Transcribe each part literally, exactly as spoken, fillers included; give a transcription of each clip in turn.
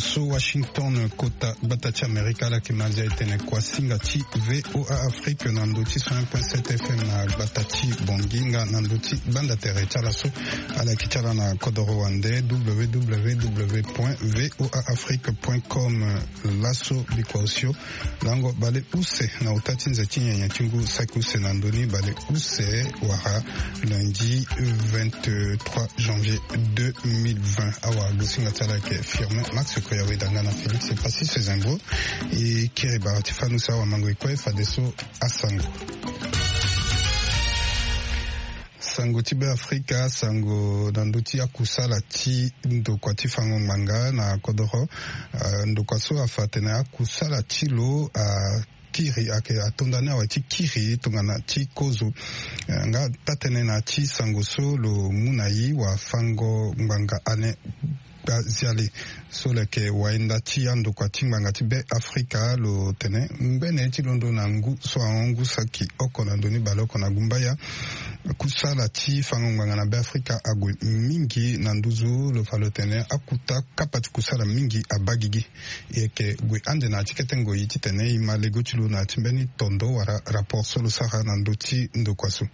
So Washington, kota gbata ti Amerika, ala yeke ma azia e tene kuasinga ti VOA Afrique na ndö ti cent un point sept FM na gbata ti Bangui nga na ndö ti gbanda tere ti ala so. Ala yeke ti ala na kodoro wande www.voaafrique.com. Laso bikua osio lango baleuse na ota ti nze ti nyenye ti ngu saki use na ndö ni baleuse wala lundi vingt-trois janvier deux mille vingt. Awara gosinga ti ala yeke Firmin Max Koya, weda nga na Félix Passis Zengo. E kiri bara ti fanu si awamango e kue fadeso asango. Sango ti Beafrika, sango na ndö ti akusala ti ndokua ti fango ngbanga na kodoro. Ah, ndokua so afa atene akusala ti lo akiri, ayeke atonda ni awe ti kiri tongana ti kozo. Eh, nga taa-tënë na ya ti sango so lo mu na e, wafango ngbanga Alain Gbaziale, so lo yeke wayenda ti andokua ti ngbanga ti Beafrika, lo tene ngbene ti londo na ngu so ahon ngu saki oko na ndö ni baleoko na gumbaya, kusala ti fango ngbanga na Beafrika ague mingi na nduzu. Lo fa lo tene akuta kapa ti kusala mingi abaa gigi. E yeke gue ande na ya ti kete ngoi titene e ma lego ti lo na ya ti mbeni tondo wala rapport so lo sara na ndö ti ndokua so.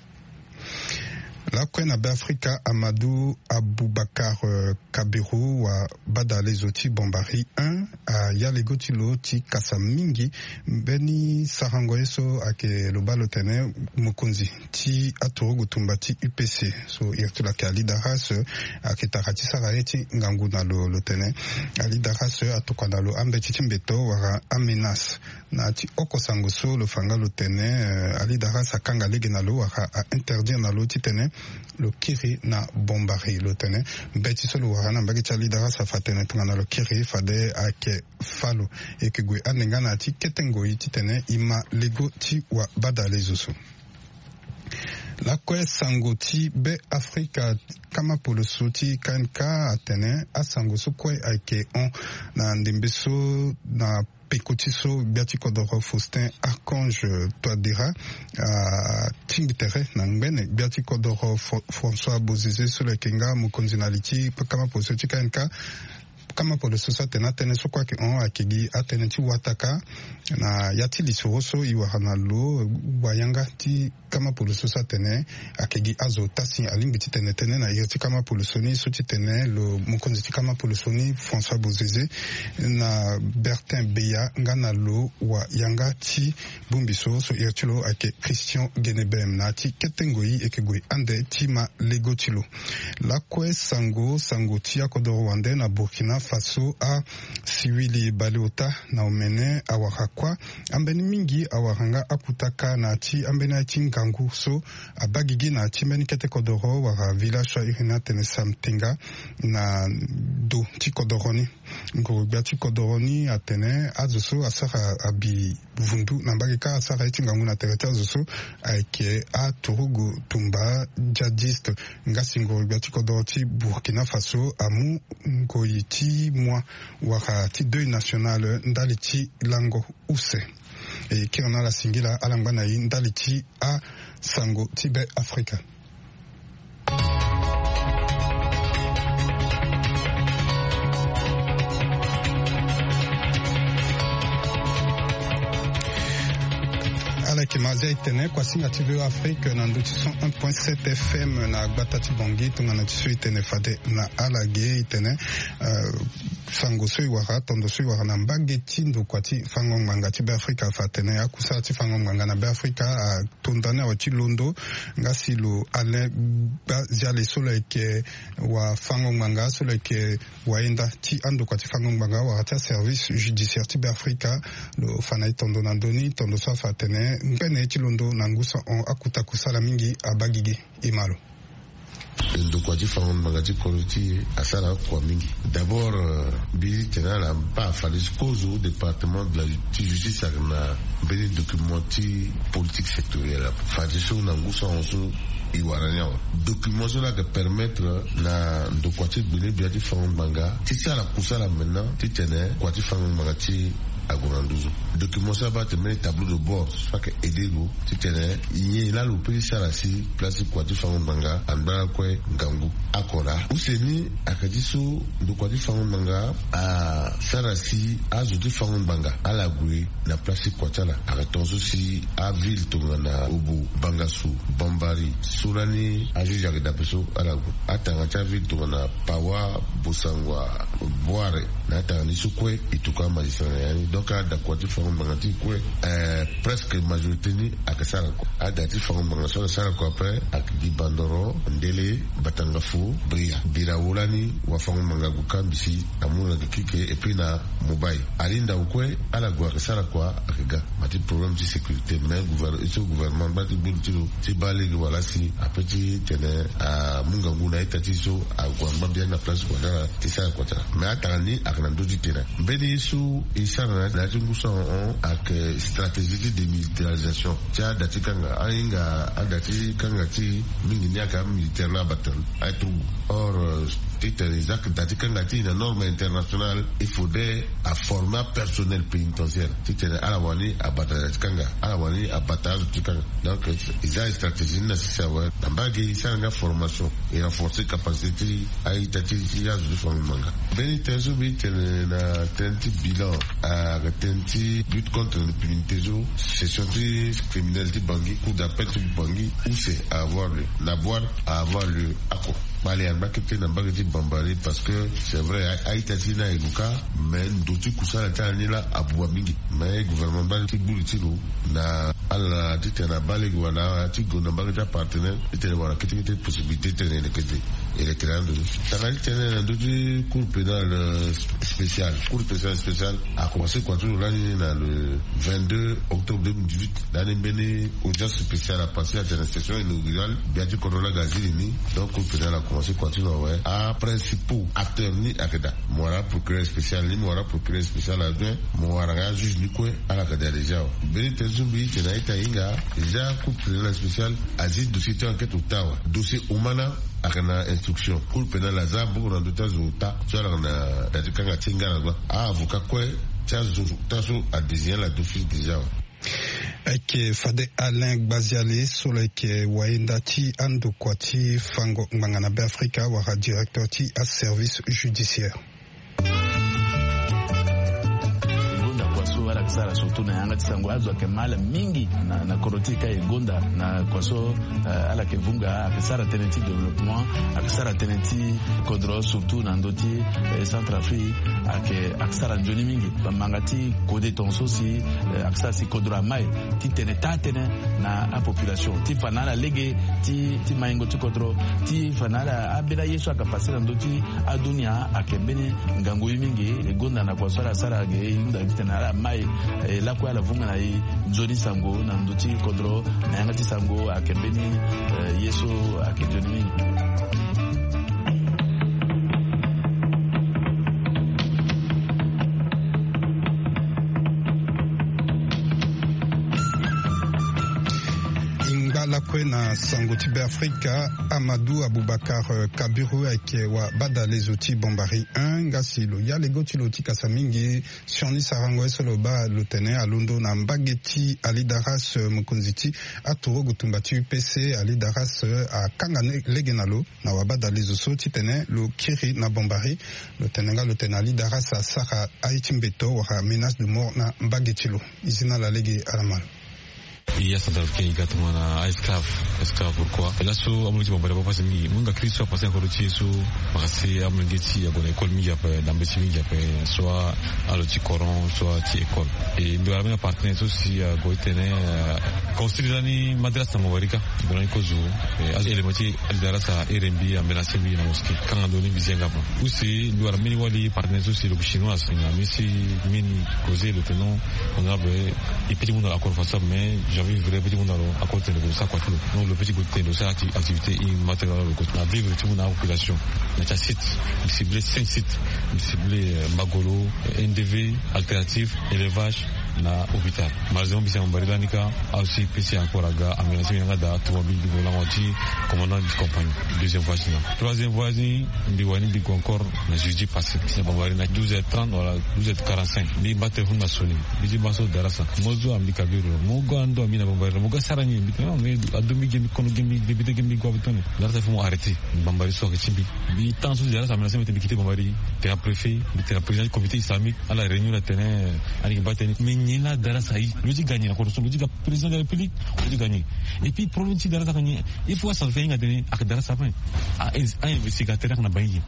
Lakue na Beafrika, Amadou Aboubacar, euh, Kabiru, wabadalezo ti Bombari un, aya lego ti lo ti kasa mingi mbeni sarango ye so ayeke lo baa lo tene mokonzi ti aturugu tumba ti U P C, so iri ti lo ayeke Ali Darras, ayeke tara ti sara ye ti ngangu na lo. Lo tene Ali Darras atokua na lo ambeti ti mbeto wala amenace. Na ya ti oko sango so lo fa nga lo tene, eh, Ali Darras akanga lege na lo wala a interdire na lo titene lo kiri na Bombari. Lo tene mbeti so lo wara na mbage ti Ali Darras afa atene tongana lo kiri fade ayeke fâ lo. E yeke gue ande nga na ya ti kete ngoi titene e ma lego ti wabadalezo so. Lakue sango ti Beafrika, kama poloso ti K N K atene asango so kue ayeke hon na ndembe so na peko ti so gbia ti kodoro Faustin Archange Touadéra atingbi tere na ngbene gbia ti kodoro Fr-, François Bozizé so lo yeke nga mokonzi na li ti kama poloso ti K N K. Kama poloso so atene atënë so kue ayeke hon ayeke gi atënë ti wataka na ya ti lisoro so e wara na lo wayanga ti kama poloso so atene ayeke gi azo tasi. Alingbi titene tënë na iri ti kama poloso ni so titene lo mokonzi ti kama poloso ni François Bozizé na Bertin Beya nga na lo wayanga ti bongbi so, so iri ti lo ayeke Christian Guenebem. Na ya ti kete ngoi e yeke gue ande ti ma lego ti lo. Lakue sango, sango ti akodoro wande na Burkina Faso, asiwili baleota na omene awara kuâ. Ambeni mingi awara nga akutaka na ya ti ambeni aye ti ngangu so abaa gigi na ya ti mbeni kete kodoro wala village so a iri ni atene Samtenga na do ti kodoro ni. Ngoro-gbia ti kodoro ni atene azo so asara abi vundu na mbage kâ, asara ye ti ngangu na tere ti azo so ayeke aturugu tumba djihadiste. Nga si ngoro-gbia ti kodoro ti Burkina Faso amu ngoi ti moi wala ti deuil national ndali ti lango use. E kiri na ala singila, ala ngba na e ndali ti asango ti Beafrika. Ala yeke ma azia e tene kuasinga ti VOA Afrique na ndö ti cent un point sept FM na gbata ti Bangui, tongana ti so e tene fade na ala ge. E tene, euh, sango so e wara, tondo so e wara na mbage ti ndokua ti fango ngbanga ti Beafrika afa atene akusala ti fango ngbanga na Beafrika a tonda ni awe ti londo. Nga si lo Alain Gbaziale so lo yeke wafango ngbanga, so lo yeke wayenda ti andokua ti fango ngbanga wala ti aservice judiciaire ti Beafrika, lo fa na e tondo na ndö ni, tondo so afa atene ngbene ye ti londo na ngu so ahon akuta kusala mingi abaa gigi. E ma lo. Ndokua ti fango ngbanga ti kodro ti e asara akua mingi. D'abord, euh, mbi tene ala baa fade ti kozo département de la ti justice ayeke na mbeni document ti politique sectorielle. Fade so na ngu so ahon so e wara ni awe. Document so laa ayeke permettre na ndokua ti gbene gbia ti fango ngbanga ti sara kusala maintenant titene kua ti fango ngbanga ti Ague na nduzu document so abaa tene mbeni tableau de bord so ayeke aide lo titene nyen laa lo peut ti sara si place ti kua ti fango ngbanga angba lakue ngangu. Oko laa use ni ayeke ti so ndokua ti fango ngbanga asara si azo ti fango ngbanga ala gue na place ti kua ti ala. Ayeke tongaso si aville tongana Obo, Bangassou, Bambari, so lani ajuge ayeke dape so ala gue. Atanga ti aville tongana Pawa, Bossangoa, Bouaré, na atanga ni so kue e tuku amagistrat na ya ni. Donc adakua ti fango ngbanga ti e kue, eh, presque majorité ni ayeke sara kua. Ada ti fango ngbanga so ala sara kua ape ayeke gi Bandoro, Ndélé, Batangafo, Bria, Birawo lani wafango-ngbanga ague kambisi amu na gi kike et puis na Mobay. Ali ndau kue ala gue ayeke sara kua ayeke ga. Ma ti problème ti sécurité mais gouver- so gouvernement angba ti gbu li ti lo ti baa lege wala si ape ti tene amu ngangu na a-ita ti e so ague angba biani na place kua ti ala ti sara kua ti ala. Mais atanga ni ayeke na ndö ti tene mbeni ye so e sara na ya ti ngu so ahon ayeke stratégie ti démilitarisation ti ada ti kanga ahinga ada ti kanga ti e mingi ni ayeke amilitaire la abata aye trouble. Or euh, titene e za da ti kanga ti e na norme internationale il faudrait aformer apersonnel pénitentiaire titene ala wani abata da ti kanga, ala wani abata azo ti kanga. Donc e za e stratégie ni na sese awe na mbage e sara nga formation, e renforcer capacité ti a-ita ti ti azo ti fango-ngbanga. Mbeni tënë so mbi tene na tënë ti bilan ayeke tënë ti lutte contre l'impunité so session ti criminel ti Bangui, cour d'appel ti Bangui use a avoir lieu na Bouar a avoir lieu. Oko kpale angba kete na mbage ti Bambari parce que c'est vrai a-ita ti e ni aye luka mais ndo ti kusala ti ala ni laa abua mingi. Mais gouvernement angba ti gbu li ti lo na ala titene abaa lege wala ti gue na mbage ti apartenaire titene wala kete kete possibilité titene e leke ti e e leke na ando ni. Tanga ti tene na ndö ti cour pénale spéciale, cour pénale spéciale akomanse kua ti lo lani na le vingt-deux octobre deux mille dix-huit. Lani mbeni audience spéciale apassé atene session inaugurale gbia ti kodro laa aga zi li ni. Donc cour pénale akomanse kua ti lo awe aprincipaux acteurs ni ayeke daa. Mo wara aprocureur spécial ni, mo wara aprocureur spécial adjoint, mo wara nga ajuge ni kue. Ala yeke daa déjà awe. Mbeni tënë so mbi ti na a-ita e hinga déjà cour pénale spéciale azi dossier ti enquête ota awe. Dossier omana ayeke na instruction. Cour pénale aza mbongo na ndö ti azo ota so ala yeke na da ti kanga ti e nga na gba. A-avocat kue ti azo ota so adésigné ala d'office déjà awe. Ayeke fade Alain Gbaziale so lo yeke wayenda ti andokua ti fango ngbanga na Beafrika wala directeur ti aservice judiciaire. E gonda kua so ala yeke sara surtout na yanga ti sango azo ayeke ma ala mingi na na kodro ti e ka e gonda na kua so. Ala yeke vunga ayeke sara tënë ti développement, ayeke sara tënë ti kodro surtout na ndö ti Centrafrique. Ayeke ayeke sara nzoni mingi. Bamanga ti kode tongaso si ayeke sara si kodro amai ti tene taa tënë na apopulation ti fa na ala lege ti ti maingo ti kodro ti fa na ala ambeni aye so ayeke passe na ndö ti adunia ayeke mbeni ngangu ye mingi. E gonda na kua so ala sara ge e hunda titene ala mai e lakue ala vunga na e nzoni sango na ndö ti kodro na yanga ti sango ayeke mbeni ye so ayeke nzoni mingi. E ngba lakue na sango ti Beafrika. Amadou Aboubacar Kabiru ayeke wabadalezo ti Bombari un nga si lo ya lego ti lo ti kasa mingi. Sioni sarango ye so lo baa lo tene alondo na mbage ti Ali Daras mokonzi ti aturugu tumba ti U P C. Ali Daras akanga lege na lo na wabadalezo so titene lo kiri na Bombari. Lo tene nga lo tene Ali Daras asara aye ti mbeto wala menace de mort na mbage ti lo. E zi na ala lege ala ma lo. E ya centrafricain e ga tongana a-esclave. Esclave pourquoi? E laso amu lo ti Bombari abaa pasi mingi. Mu nga crise so apase na kodro ti e so parce que amolenge ti e ague na école mingi ape na mbeti mingi ape soit alo ti coran soit ti école. E mbi wara mbeni apartenaire so si ague titene construire lani madrasa na Bombari ka. Mbi wara ni kozo. Azo élément ti Ali Daras ahere mbi amena se mbi na mosquée kanga ndo ni mbi zi yanga ape. Use mbi wara mbeni wali partenaire so si lo yeke chinois si na mbi si mbeni causer lo tene non. Honorable e peut ti mu na lo accord façon mais j'avais vrai e peut ti mu na lo accord tene lo sara kua ti lo. Non lo peut ti gue tene lo sara activité immatériel lo na vivre ti mu na apopulation. Na ti asite mbi cible cinq sites. Mbi cible Magolo, N D V, alternative, élevage. Na hôpital. Malheureusement mbi si na bambari lani kâ. Azo si pesi encore aga ambulance mbi na yanga daa tongana mbi gue lango ti commandant du compagnie. Deuxième voice ni na troisième voice ni mbi wani mbi gue encore na jeudi passé si na bambari na douze heures trente wala douze heures quarante-cinq mbi baa téléphone na sonné. Mbi ti baa so darasa mo zo ambi kabiru mo ga ndo ambi na bambari mo ga sara ni mbi tene ado mbi ge mbi kono ge mbi député ge mbi gue abe tone. Darasa fo mo arrêté. Bambari so ayeke ti mbi. Mbi tan so si darasa ambulance mbi tene mbi kite bambari. Tene na préfet mbi tene na président ti comité islamique. Ala réunion na tene. Ani yeke baa tene mais nyen laa darasa aye lo ti ga nyen na kodro so lo ti ga président de la république. Lo ti ga nyen? Et puis problème ti darasa ayeke nyen? Il faut asango fini hinga tene ayeke darasa ape. A investigateur ayeke na bangi.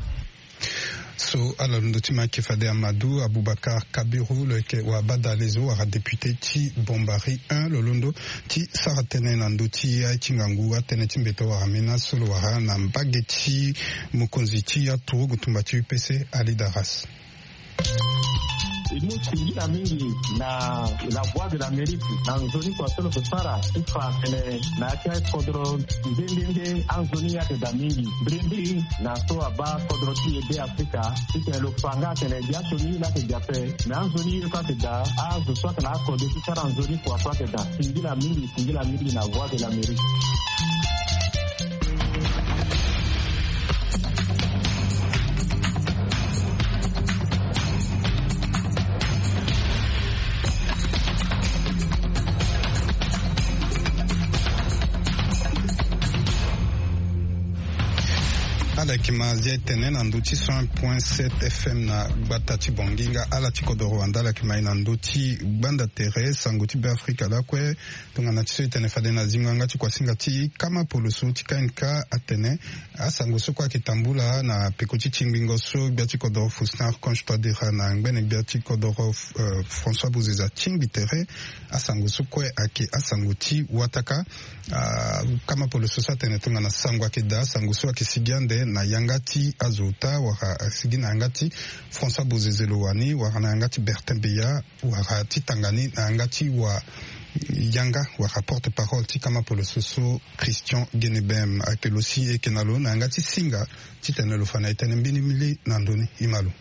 So ala londo ti ma ayeke fade Amadou Aboubacar Kabiru lo yeke wabadale zo wala député ti Bombari un lo londo ti sara tënë na ndö ti aye ti ngangu atënë ti mbeto wala mena so lo wara na mbage ti mokonzi ti aturugu tumba ti U P C Ali Daras. E mu singila mingi na la voix de l'Amérique na nzoni kua so lo yeke sara ti fa tene na ya ti akodro nde nde nde anzoni ayeke daa mingi mbirimbiri na so abaa kodro ti e be Afrika titene lo fa nga atene biasioni ye laa ayeke daa ape. Me anzoni ye kue ayeke daa azo so ayeke na akode ti sara nzoni kua so ayeke daa singila mingi singila mingi na voix de l'Amérique. Ala yeke ma zia etene na ndö ti cent point sept F M na gbata ti Bongi nga ala ti kodoro wanda ala yeke ma e na ndö ti gbanda tere sango ti Beafrika lakue. Tongana ti so e tene fade na zingo yanga ti kuasinga ti kama poloso ti K N K atene asango so kue ayeke tambula na peko ti tingbingo so gbia ti kodoro Faustin Archange Touadéra na ngbene gbia ti kodoro François Bozeza atingbi tere. Asango so kue ayeke asango ti wataka. Kama poloso so atene tongana sango ayeke daa asango so ayeke sigi ande na yanga ti azo ota wala asigi na yanga ti François Bozeza lo wani wala na yanga ti Bertin Beya wala ti tanga ni na yanga ti wa yanga wala porte parole ti kama poloso so Christian Genebem ayeke lo si e yeke na lo na yanga ti singa titene lo fa na e tënë mbeni mbeni na ndö ni e ma lo.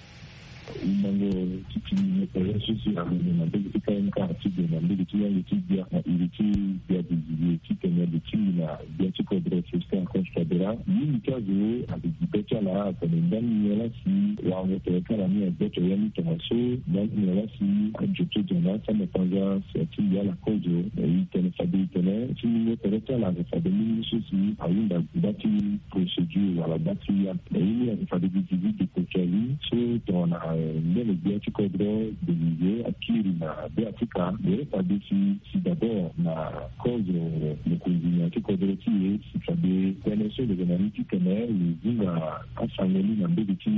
Wundango ti ti ni mepere so si ague na mbage ti K N K ti gue na mbage ti lango ti gbia na iri ti gbia dizilie titene lo tingbi na gbia ti kodro Faustin Archange Touadéra mingi ti azo ayeke gi be ti ala atene ndani nyen laa si warango tere ti ala ni agboto ya ni tongaso ndani nyen laa si ajo ti ojana ti amapanza si atingbi ala kozo. E tene fade e tene ti mingo tere ti ala ayeke fade mingi so si ahunda gba ti procédure wala gba ti ya. E ye ni ayeke fade gi dizi dépôt ti ali so tongana mbeni gbia ti kodro Belize akiri na Beafrika. Lo ye fade si si d'abord na kozo mokonzi na ya ti kodro ti e si fade tënë so lo yeke na ni titene lo zinga asango ni na mbage ti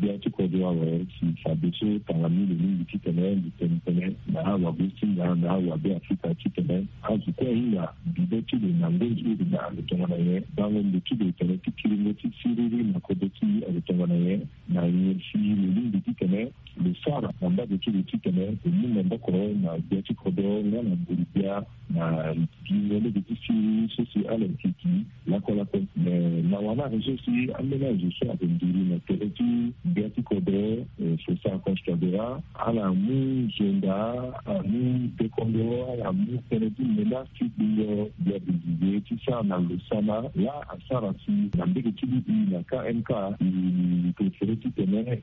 gbia ti kodro awe si fade so tanga ni lo mingi titene lo tene tënë na awagosinga na awabeafrika titene azo kue ahinga bibe ti lo na ngonzo ti lo na lo tongana nyen bango ndo ti lo tene ti kiringo ti siriri na kodro ti e alo tongana nyen. Na nyen si lo lingbi titene lo sara na mbage ti lo titene lo mu maboko na gbia ti kodro nga na nguru-gbia na gingo lege ti siriri so si ala yeke gi lakue lakue. Me na wala azo so si ambeni azo so ayeke nduru na tere ti gbia ti kodro Faustin Archange Touadéra ala mu zonda ala mu dekondo ala mu tënë ti menace ti gbingo gbia bizize ti sara na lo sana laa asara si na mbage ti libi na K M K. E préféré titene e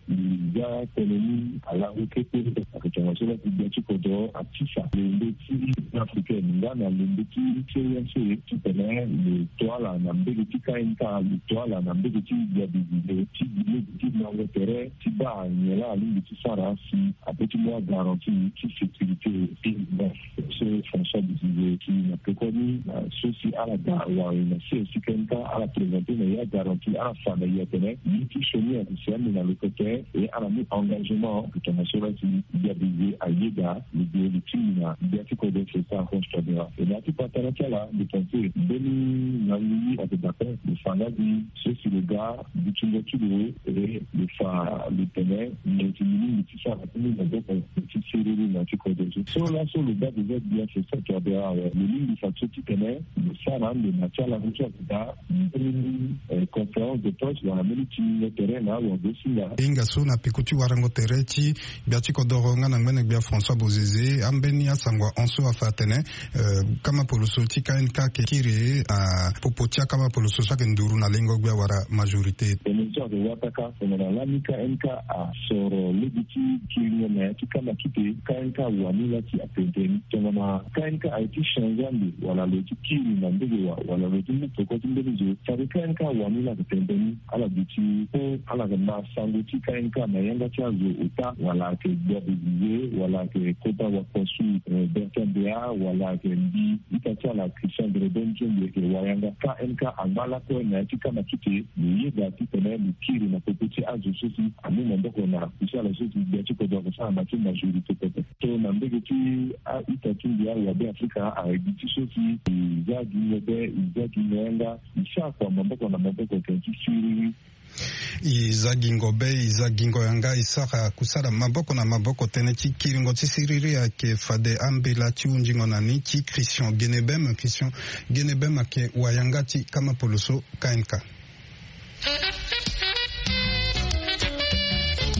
za tënë ni alango kete. Ayeke tongaso laa ti gbia ti kodro atisa lembe ti Union Africaine nga na lembe ti C E E A C titene lo to ala na mbage ti K M K lo to ala na mbage ti gbia bizize ti gi lege ti lango tere ti baa nyen laa alingbi ti sara si ape ti mu agaranti ti sécurité ti. So François Bozizé ti na pekoni na so si ala ga wari na C S C K M K ala présenter na ya garantie ala fa na ya tene ye ti sioni ayeke si ande na lokote. Et ala mu engagement tongana so la si Bozizé ayeda lo gue lo tingbi na gbia ti kodro Faustin Archange Touadéra. Et na ya ti patara ti ala lo pense mbeni na lili ayeke daa pe lo fa nga gi so si lo ga butingo ti lo et lo fa lo tene Meti milingi ti sara ti ni na gboko ti siriri na ti kodro so. So laso lo baa déjà gbia so saki abe awe lo lingbi fa so titene lo sara ande na ti ala so ti ape daa. Mbeni conférence de presse wala mbeni ti ngingo tere na awa go singa. E hinga so na peko ti warango tere ti gbia ti kodoro nga na ngbene gbia François Bozizé, ambeni asango ahon so afa atene, eh, kama poloso ti K N K ayeke kiri na popo ti akama poloso so ayeke nduru na lengo gbia wala majorité. Tongana so ayeke wata ka tongana lani K N K asoro lege ti kiringo na ya ti kama kite, K N K awani la ti atene tongana K N K aye ti change ande wala lo ye ti kiri na ndege wa wala lo ye ti mu peko ti mbeni zo. Saki K N K awani la ayeke tene tënë ni. Ala duti so ala yeke ma sango ti K N K na yanga ti azo ota wala ayeke gbia Bozizé wala ayeke kota wakua su, eh, Bertin Béat wala ayeke mbi ita ti ala Christian Grédon ti mbi ayeke wayanga. K N K angba lakue na ya ti kama kite. Lo yeda titene lo kiri na popo ti azo so si amu maboko na kusala so si gbia ti kodro ayeke sara na ti majorité pepe. So na mbege ti a-ita ti mbi awabe Afrika ayeke gi ti so si e za gingo be, e za gingo yanga, e sara kua maboko na maboko tene ti siriri. E za gingo be, e za gingo yanga, e sara kusala maboko na maboko tënë ti kiringo ti siriri ayeke fade ambela ti hunzingo na ni ti Christian Genebem. Christian Genebem ayeke wayanga ti kama poloso K N K.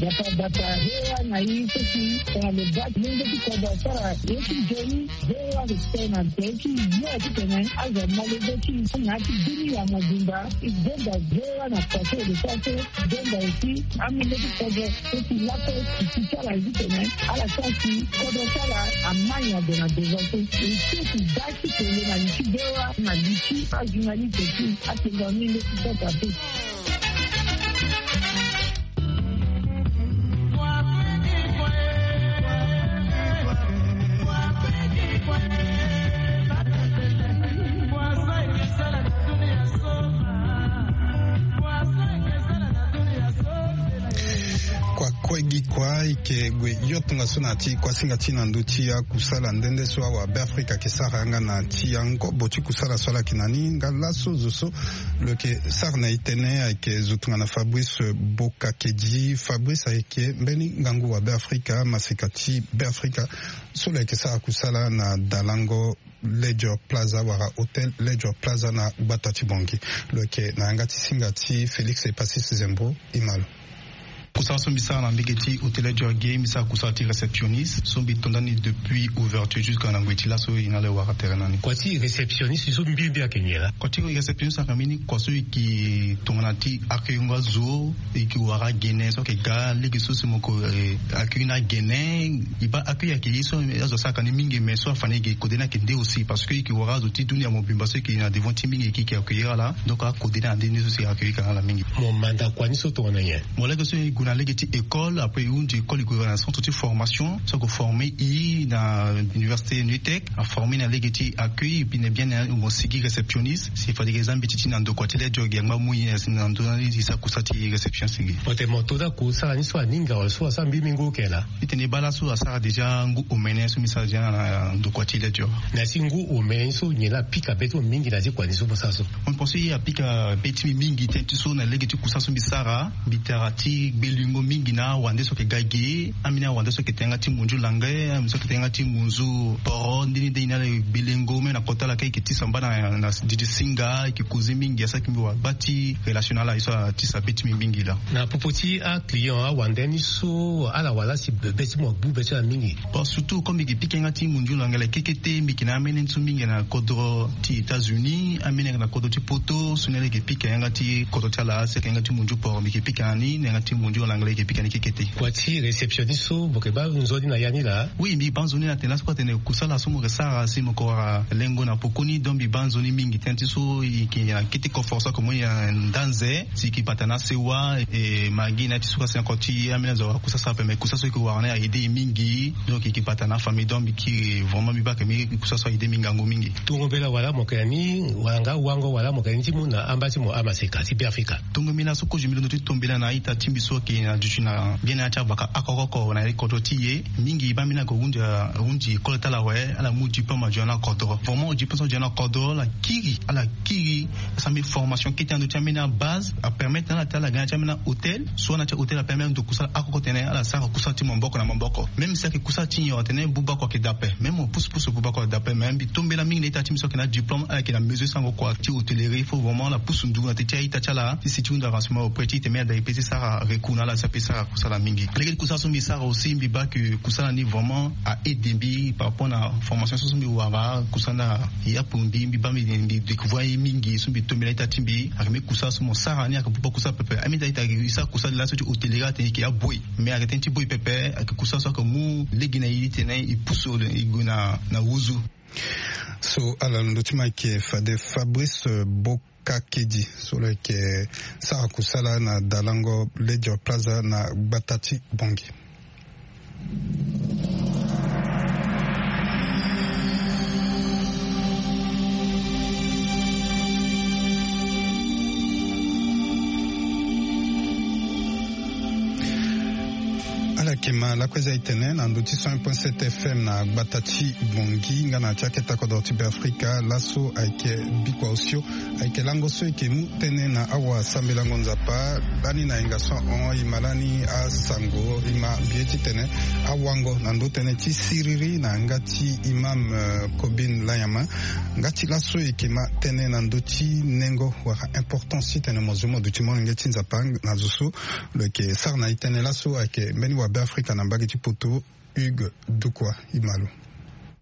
Bata bata hewa na i so si tongana lo baa ti lenge ti kodro asara ye ti nzoni. Hewa lo tene na nze ti yo titene azo amolenge ti na ya ti dunia mobimba. E donda hewa na kua so lo sara so donda aussi amolenge ti kodro so si lakue si ti ti ala titene ala sara si kodro ti ala amai na ndo na devant so. E so si baa ti tene na li ti hewa na li ti ajournaliste ti atengua ni nde ti sota pe. Kua kue gi kua e yeke gue yo tongaso na ya ti kuasinga ti na ndö ti akusala nde nde so awabe Afrika ayeke sara yanga na ti angobo ti kusala so ala yeke na ni nga laso zo so lo yeke sara na e tënë ayeke zo tongana Fabrice Bokakedi. Fabrice ayeke mbeni ngangu wabe Afrika maseka ti Beafrika so lo yeke sara kusala na dalango Ledger Plaza wala Hôtel Ledger Plaza na gbata ti Bangui. Lo yeke na yanga ti singa ti Félix Epasis Zembo. E ma lo. Kusala so mbi sara na mbege ti Hôtel Ledger ge, mbi sara kusala ti réceptionniste so mbi to ndani depuis ouverture jusqu'à na ngoi ti laso e na ala e wara tere na ni. Kua ti réceptionniste so mbi mbi ayeke nyen laa? Kua ti réceptionniste ayeke mbeni kua so e yeke tongana ti accueillingo azo, e yeke wara agene so ayeke ga lege so si mo yeke, eh, accueillir na agene. E baa accueil ayeke ye so azo asaraka ni mingi, mais so afa ni e yeke kode ni ayeke nde aussi parce que e yeke wara azo ti dunia mobimba so e yeke na devant ti mingi e yeke accueillir ala. Donc akode ni ande nde so si e accueillir ka na ala mingi. Mo manda kua ni so tongana nyen? Mo lege so e gue na lege ti école, après e hunzi école e gue na centre ti formation so ayeke former e na université NUTEC. Aformer na lege ti accueil, e puis na bien na mo sigi réceptionniste. Si fade e za mbeti ti na ndo kua ti Ledger ge angba mu e na ndo na ni e sara kusala ti réceptionniste ge. Mo tene mo to daa kusala ni so aninga wala so asara mbi mingi oke laa? Titene e baa laso asara déjà ngu omene so mbi sara déjà na ndo kua ti Ledger. Na ya ti ngu omene ni so nyen laa apika be ti mo mingi na ya ti kua ni so mo sara so? Mo pense e apika be ti mbi mingi tënë ti so na lege ti kusala so mbi sara. Mbi tara ti gbelingo mingi na awande so ayeke ga ge, ambeni awande so ayeke tene yanga ti munzu lange, ambeni so ayeke tene yanga ti munzu poro, nde ni nde e na ala e gbelingo même na kota lakue e yeke tisa mba na, na didi singa, e yeke causer mingi, asara yeke mbi wara gba ti relation na ala, ye so atisa be ti mbi mingi laa. Na popo ti aclient awande ni so ala wara laa si be ti mo agbu be ti ala mingi? Bon, surtout comme mbi yeke pika yanga ti munzu lange la kekete, mbi yeke na amene ni so mingi na kodro ti États-Unis, amene ayeke na kodro ti Poto, so ni ala yeke pika yanga ti kodro ti ala, si ayeke yanga ti munzu poro mbi yeke pika na ni, na yanga ti munzu lange la e yeke pika ni kekete. Kua ti réceptionniste so mo yeke baa nzoni na ya ni laa? Oui, mbi baa nzoni na tene laso kue atene kusala so mo yeke sara si mo yeke wara lengo na pokoni, donc mbi baa nzoni mingi tënë ti so e yeke na kete koforo so ayeke mo ni na ndanze. Si e yeke bata na asewa, e, magi na ya ti so ka si na kua ti amene azo awara kusala so ape, mais kusala so e yeke wara ni a-aider e mingi. Donc e yeke bata na afamille, donc mbi kiri vraiment mbi baa ayeke mbi kusala so a-aider mbi ngangu mingi. Tongo mbela wala mo yeke na ni wala nga wango wala mo yeke na ni ti mu na amba ti mo amaseka ti Beafrika? Tongo mbela so kozo mbi londo ti to mbela na a-ita ti mbi so ayeke E na duti na mbeni ya ti avaka oko oko na ye kodro ti e. Mingi baa mbeni ako hunzi hunzi école ti ala awe, ala mu diplôme adio na kodro. Vraiment diplôme so adio na kodro ala kiri, ala kiri. Asara mbeni formation kete na ndö ti ambeni abase apermettre na ala ti ala ga na ya ti ambeni ahôtel, soit na ya ti ahôtel apermettre ndo kusala oko oko tene ala sara kusala ti maboko na maboko. Même si ayeke kusala ti nyon atene buba oko ayeke daa ape, même mo pusu pusu buba oko ayeke daa ape. Mais mbi tombela mingi na ita ti mbi so ayeke na diplôme ala yeke na mesure ti sango kua ti hôtellerie. Il faut vraiment ala pusu ndugu na teti aita ti ala ti si ti hunzi avancement auprès ti e tene mbi ada e pe ti sara recours na ala si ape sara kusala mingi. Lege ti kusala so mbi sara aussi mbi baa ke kusala ni vraiment a aide mbi par rapport na formation so so mbi wara kusala na yapo mbi mbi baa mbi mbi découvrir ye mingi so mbi tombela ita ti mbi. Ayeke mbeni kusala so mo sara ni ayeke buba kusala pepe. Amida ita e sara kusala laso ti hôtellerie atene e yeke aboyi. Mais ayeke tënë ti boyi pepe, ayeke kusala so ayeke mu lege na e ti tene e pusu e gue na na wuzu. So ala londo ti mo ayeke fade Fabrice Bokakedi so lo yeke sara kusala na dalango Ledger Plaza na gbata ti Bangui. Ala yeke ma lakue za e tene na ndö ti cent un point sept F M na gbata ti Bangui nga na ya ti akete kodro ti Beafrika. Laso ayeke bikua osio ayeke lango so e yeke mu tënë na awasambelango Nzapa lani na yenga so ahon e ma lani asango e ma mbi ye ti tene awango na ndö tënë ti siriri na yanga ti imam Kobin Layama. Nga ti laso e yeke ma tënë na ndö ti nengo wala importance ti tene mo zo mo duti molenge ti Nzapa na zo so lo yeke sara na e tënë. Laso ayeke mbeni wa Beafrika na mbage ti poto Hugues Dukwa. E ma lo.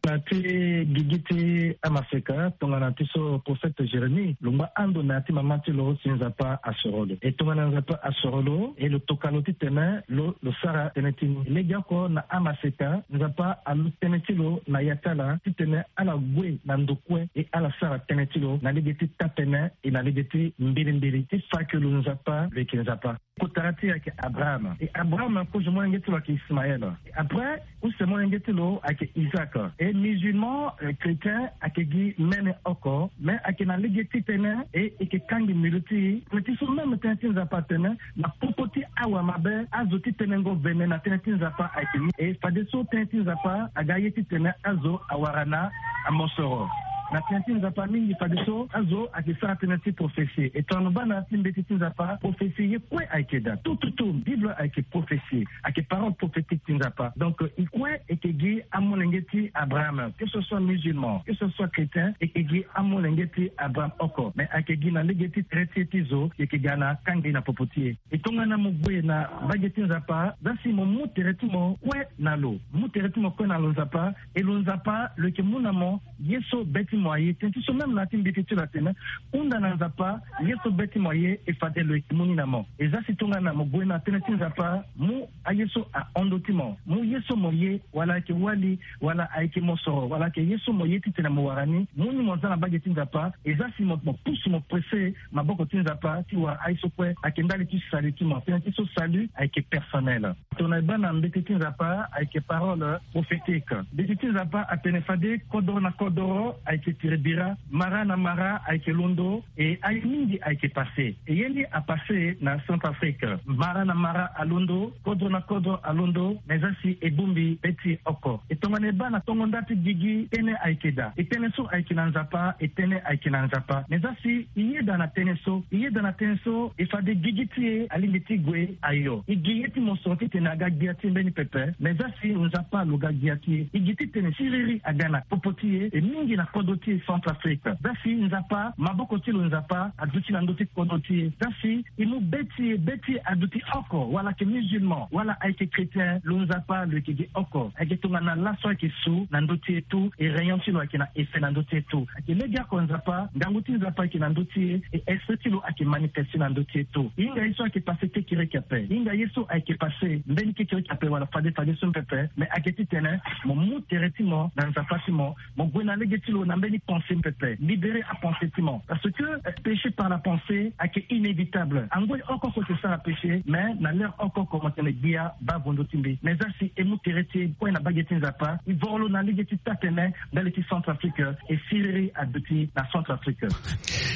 Na ti gigi ti amaseka tongana ti so prophète Jérémie lo ngba ando na ya ti mama ti lo si Nzapa asoro lo. E tongana Nzapa asoro lo e lo toka lo ti tene lo lo sara tënë ti ni. Legeoko na amaseka Nzapa alu tënë ti lo na ya ti ala ti tene ala gue na ndo kue e ala sara tënë ti lo na lege ti taa-tënë e na lege ti mbilimbili ti fa ke lo Nzapa lo yeke Nzapa. Kotara ti e ayeke Abraham. E Abraham kozo molenge ti lo ayeke Ismaël. E après use molenge ti lo ayeke Isaac. E musulman chrétien ayeke gi mene oko mais ayeke na lege ti tene e e yeke kangbi mbi lo ti e. Tënë ti so même tënë ti Nzapa atene na popo ti awamabe azo ti tenengo vene na tënë ti Nzapa ayeke ni. E fadeso tënë ti Nzapa aga ye ti tene azo awara na amosoro. Na tënë ti Nzapa mingi fadeso azo ayeke sara tënë ti prophétie. E tongana lo baa na ya ti mbeti ti Nzapa prophétie ye kue ayeke daa. Tout tout tout Bible ayeke prophétie, ayeke parole prophétique ti Nzapa. Donc e kue e yeke gi amolenge ti Abraham, que ce soit musulman, que ce soit chrétien, e yeke gi amolenge ti Abraham oko. Mais ayeke gi na lege ti tere ti e ti zo e yeke ga na kangbi na popo ti e. E tongana mo gue na mbage ti Nzapa za si mo mu tere ti mo kue na lo, mu tere ti mo kue na lo Nzapa. E lo Nzapa lo yeke mu na mo ye so be ti mo aye. Tënë ti so même na ya ti mbeti ti lo atene hunda na Nzapa ye so be ti mo aye e fade lo yeke mu ni na mo. E za si tongana mo gue na tënë ti Nzapa mu aye so ahon ndö ti mo, mu ye so mo ye wala ayeke wali wala ayeke mosoro wala ayeke ye so mo ye ti tene mo wara ni, mu ni mo za na mbage ti Nzapa. E za si mo mo pusu mo presse maboko ti Nzapa ti wara aye so kue ayeke ndali ti salut ti mo. Tënë ti so salut ayeke personnel. Tongana e baa na mbeti ti Nzapa ayeke parole prophétique. Mbeti ti Nzapa atene fade kodoro na kodoro ayeke tere bira, mara na mara ayeke londo. E aye mingi ayeke passe. E ye ni apasse na Centrafrique. Mara na mara alondo, kodro na kodro alondo, mais za si e bongbi be ti e oko. E tongana e baa na tongo nda ti gigi tënë ayeke daa. E tënë so ayeke na Nzapa, e tënë ayeke na Nzapa. Mais za si e yeda na tënë so, e yeda na tënë so e fade gigi ti e alingbi ti gue ayo. E gi ye ti mosoro titene aga gbia ti e mbeni pepe. Mais za si Nzapa lo ga gbia ti e, e gi titene siriri aga na popo ti e, e mingi na kodro ti e Centrafrique. Za si Nzapa maboko ti lo Nzapa aduti na ndö ti kodro ti e. Za si e mu be ti e, be ti e aduti oko, wala ayeke musulman wala ayeke chrétien, lo Nzapa lo yeke gi oko. Ayeke tongana laso ayeke su na ndö ti e tout, e rayon ti lo ayeke na effet na ndö ti e tout. Ayeke legeoko Nzapa, ngangu ti Nzapa ayeke na ndö ti e, e esprit ti lo ayeke manifeste na ndö ti e tout. E hinga ye so ayeke passe kekereke ape, e hinga ye so ayeke passe mbeni kekereke ape wala fade fade so pepe. Mais ayeke titene mo mu tere ti mo na Nzapa ti mo, mo gue na lege ti lo na mbeni Ni pensée pepe libérer apensée ti mo parce que péché par la pensée ayeke inévitable. Angoi oko oko ti sara péché mais na l'heure oko oko mo tene gbia baa vo ndö ti mbi mais za si e mu tere ti e kue na mbage ti nzapa e voro lo na lege ti taa-tene ndali ti Centrafrique. E siriri aduti na Centrafrique.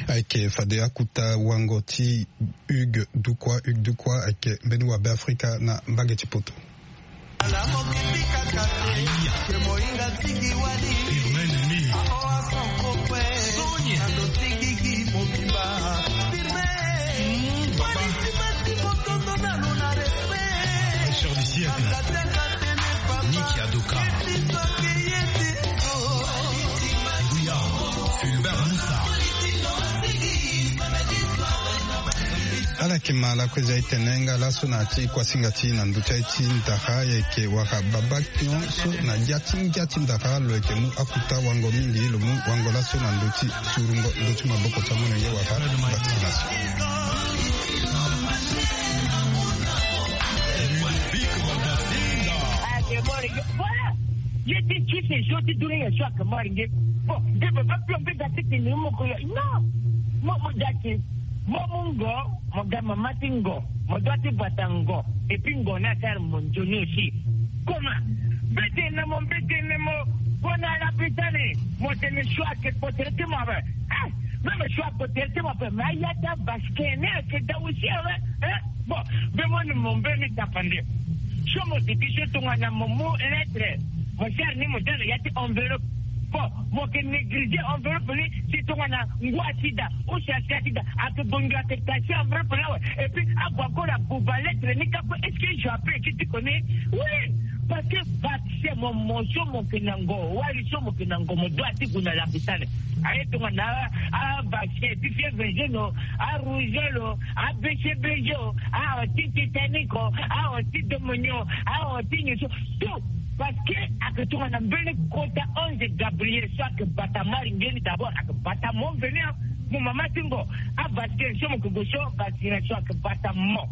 Ayeke fade akuta wango ti Hugues Dukwa Hugues Dukwa ayeke mbeni wabe Afrika na mbage ti poto. Ala yeke ma lakue za etene nga laso na ya ti kuasinga ti na ndö ti aye ti ndara ayeke wara baba pion so na ya ti ngia ti ndara lo yeke mu akuta wango mingi lo mu wango laso na ndö ti surungo ndö ti maboko ti amolenge wara vaccination. Voilà. Ye ti tuse so ti dunia so ayeke mari nge. Bon, nde baba pion mbe ga ti tene moko ya non. Mo mo dati. Mo mu ngo, mo ga mama ti ngo, mo dua ti bata ngo. Et puis ngo ni asara mo nzoni aussi. Comment? Mbete na mo mbete na mo. Gue na lapitani mo tene so ayeke kotere ti mo ape. Ah, même so akotere ti mo ape mais aya ti avasquin ni ayeke daa aussi awe. Eh? Bon, mbe mo ni mo mbeni tapande. So mo duti so tongana mo mu lettre, mo sara ni mo daa na ya ti enveloppe. Bon, mo yeke négligé enveloppe ni si tongana ngu asi daa ou si asi asi daa, ayeke bongi ayeke kasi enveloppe ni awe. Et puis ague ague na buba lettre ni kâ kue. Est-ce que je appelle ti tiko ni? Oui. Parce que vaccin mo mo so mo yeke na ngo, wali so mo yeke na ngo mo dua ti gue na lapitani. Aye tongana avaccin ti fièvre jaune o, arougeole o, abcbg o, aho ti Titanic o, aho ti domonio, aho ti nyen so. Tout. Parce que ayeke tongana mbeni kota ange Gabriel so ayeke bata mari nge ni d'abord ayeke bata mo veni. Mo mama ti ngo, avasquin so mo yeke gue so vaccination ayeke bata mo.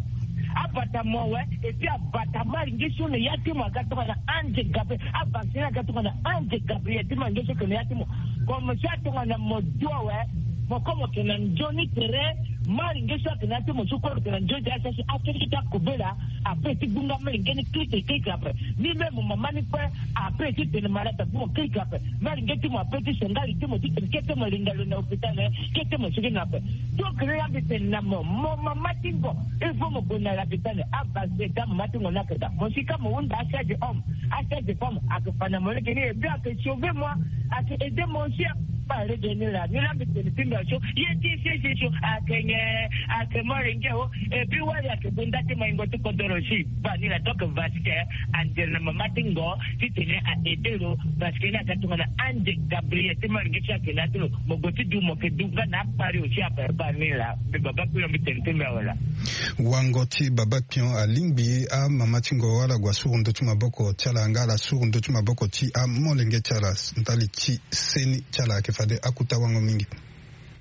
Abata mo awe. Et puis abata mari nge so na ya ti mo aga tongana ange Gabriel. Avacciné aga tongana ange Gabriel ti mari nge so yeke na ya ti mo. Comme so atongana mo dua awe. Mo kue mo yeke na nzoni tere. Mari nge so ayeke na ya ti mo so kue mo yeke na nzoni tere asi asi akirikiri ti akobela. Ape ti gbunga mari nge ni kirikiri kirikiri ape. Ni même mo mama ni kue ape ti tene malade ape mo kirikiri ape. Mari nge ti mo ape ti sengali ti mo ti tene kete mo linga lo na hôpital. Kete mo sigi na ape. Donc ni la mbi tene na mo mo mama ti ngo. Il faut mo gue na lapitani. Avasquin ti amama ti ngo ni ayeke daa mo si ka mo hunda asage homme, asage femme ayeke fa na mo lege ni et puis ayeke sauver moi. Ayeke aider moi aussi. Baa lege ni laa ni la mbi tene ti mbi aso. Ye ti sese so ayeke nyen? Ayeke molenge o. Et puis wali ayeke gue nda ti maingo ti kodoro si. Baa ni laa donc vasquin andere na mama ti ngo ti tene a aider lo. Parce que ni aga tongana ange Gabriel ti molenge so ayeke na ya ti lo. Mo gue ti du mo yeke du nga na akpari aussi ape. Baa ni laa mbi baba kue lo mbi tene ti mbi awe laa. Wango ti baba pion alingbi amama ti ngo ala gue asuru ndö ti maboko ti ala nga ala suru ndö ti maboko ti amolenge ti ala ndali ti seni ti ala ayeke fade akuta wango mingi.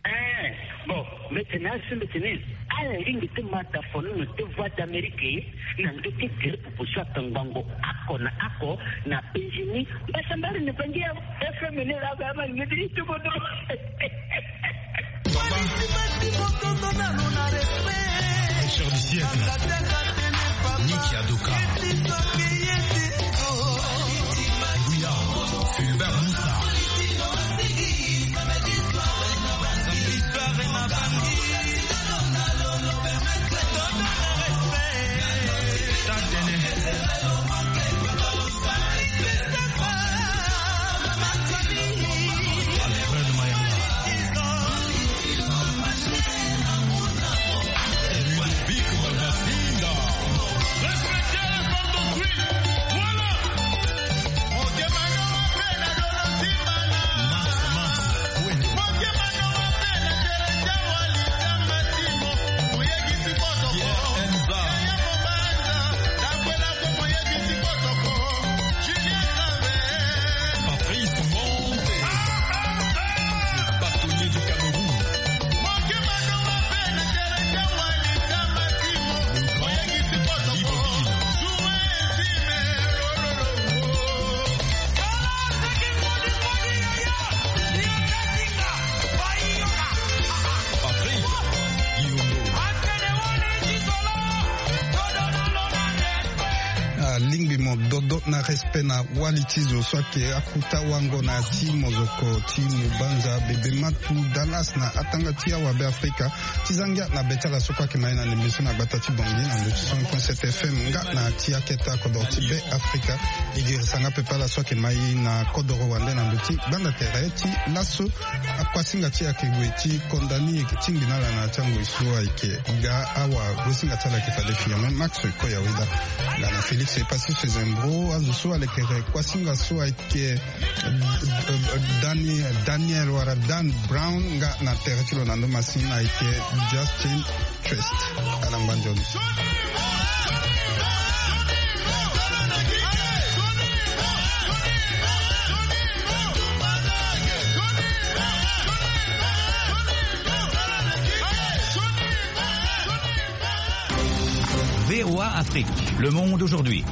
Eh, bon, mbi tene asi mbi tene ala lingbi ti ma dafono na te voix d'Amérique na ndö ti gere popo so atangbango ako na ako na Benjini. Mbasambari ni bangi ya F M ni la ba ma ni ti ti bodo. Pêcheur du siècle, Nicky Adoka, Bouya, Fulbert Moussa. Lingbi mo dodo na respect na wali ti zo so ayeke akuta wango na ya ti mozoko ti Mubanza, Bebe Matu, Dallas na atanga ti awabe Afrika. Ti za ngia na be ti ala so kue ayeke ma ye na ndembe so na gbata ti Bangui na ndö ti cent point sept F M nga na ya ti akete akodoro ti Be Afrika. E girisa nga pepe ala so ayeke ma ye na kodoro wande na ndö ti gbanda tere ti laso. Akuasinga ti e ayeke gue ti konda ni, e yeke tingbi na ala na ya ti angoi so ayeke ga awa. Gosinga ti ala ayeke fade firme Max Koyaweda. Nga na Félix Epassi Sezembro, azo so alekere kuasinga so ayeke Dani, Daniel wala Dan Brown, nga na tere ti lo na ndo masini ayeke Justin Trist. Ala ngba nzoni. V O A Afrique, le monde aujourd'hui.